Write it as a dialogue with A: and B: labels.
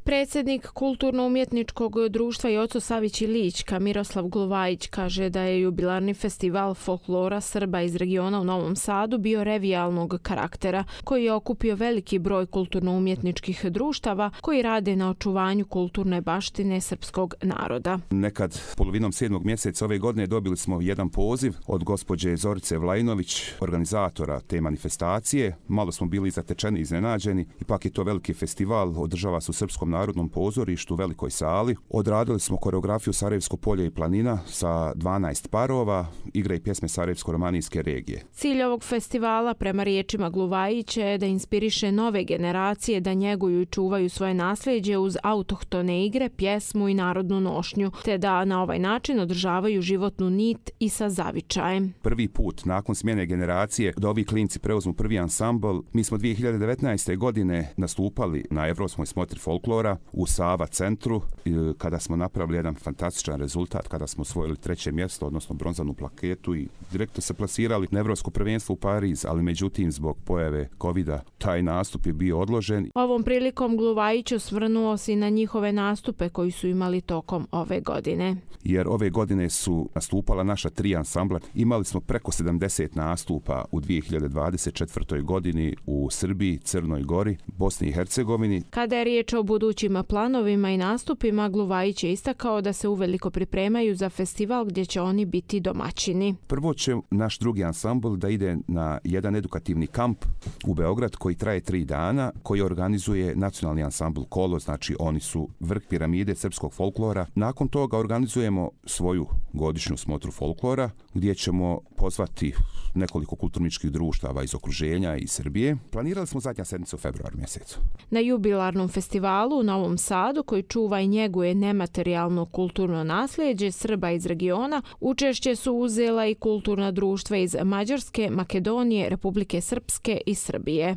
A: Predsjednik Kulturno-umjetničkog društva Joco Savić i Lička Miroslav Glovajić kaže da je jubilarni festival folklora Srba iz regiona u Novom Sadu bio revijalnog karaktera, koji je okupio veliki broj kulturno-umjetničkih društava koji rade na očuvanju kulturne baštine srpskog naroda.
B: Nekad polovinom 7. mjeseca ove godine dobili smo jedan poziv od gospođe Zorice Vlajinović, organizatora te manifestacije. Malo smo bili zatečeni i iznenađeni. Ipak je to veliki festival, održava se u Srpskom narodnom pozorištu u velikoj sali. Odradili smo koreografiju Sarajevsko polje i planina sa 12 parova, igre i pjesme Sarajevsko-romanijske regije.
A: Cilj ovog festivala, prema riječima Glovajića, je da inspiriše nove generacije da njeguju i čuvaju svoje nasljeđe uz autohtone igre, pjesmu i narodnu nošnju, te da na ovaj način održavaju životnu nit i sa zavičajem.
B: Prvi put nakon smjene generacije da ovi klinci preuzmu prvi ansambl. Mi smo 2019. godine nastupali na Evropskoj smotri folklora u Sava centru, kada smo napravili jedan fantastičan rezultat, kada smo osvojili 3. mjesto, odnosno bronzanu plaketu i direktno se plasirali na Evropsko prvenstvo u Pariz, ali međutim zbog pojave covida taj nastup je bio odložen.
A: Ovom prilikom Glovajić osvrnuo se na njihove nastupe koji su imali tokom ove godine.
B: Jer ove godine su nastupala naša 3 ansambla. Imali smo preko 70 nastupa u 2024. godini u Srbiji, Crnoj Gori, Bosni i Hercegovini.
A: Kada je riječ o budućim planovima i nastupima, Glovajić je istakao da se uveliko pripremaju za festival gdje će oni biti domaćini.
B: Prvo će naš drugi ansambl da ide na jedan edukativni kamp u Beograd koji traje 3 dana, koji organizuje nacionalni ansambl Kolo, znači oni su vrh piramide srpskog folklora. Nakon toga organizujemo svoju godišnju smotru folklora gdje ćemo pozvati nekoliko kulturničkih društava iz okruženja i Srbije. Planirali smo zadnja sedmica u februar mjesecu.
A: Na jubilarnom festivalu u Novom Sadu, koji čuva i njeguje nematerijalno kulturno nasljeđe Srba iz regiona, učešće su uzela i kulturna društva iz Mađarske, Makedonije, Republike Srpske i Srbije.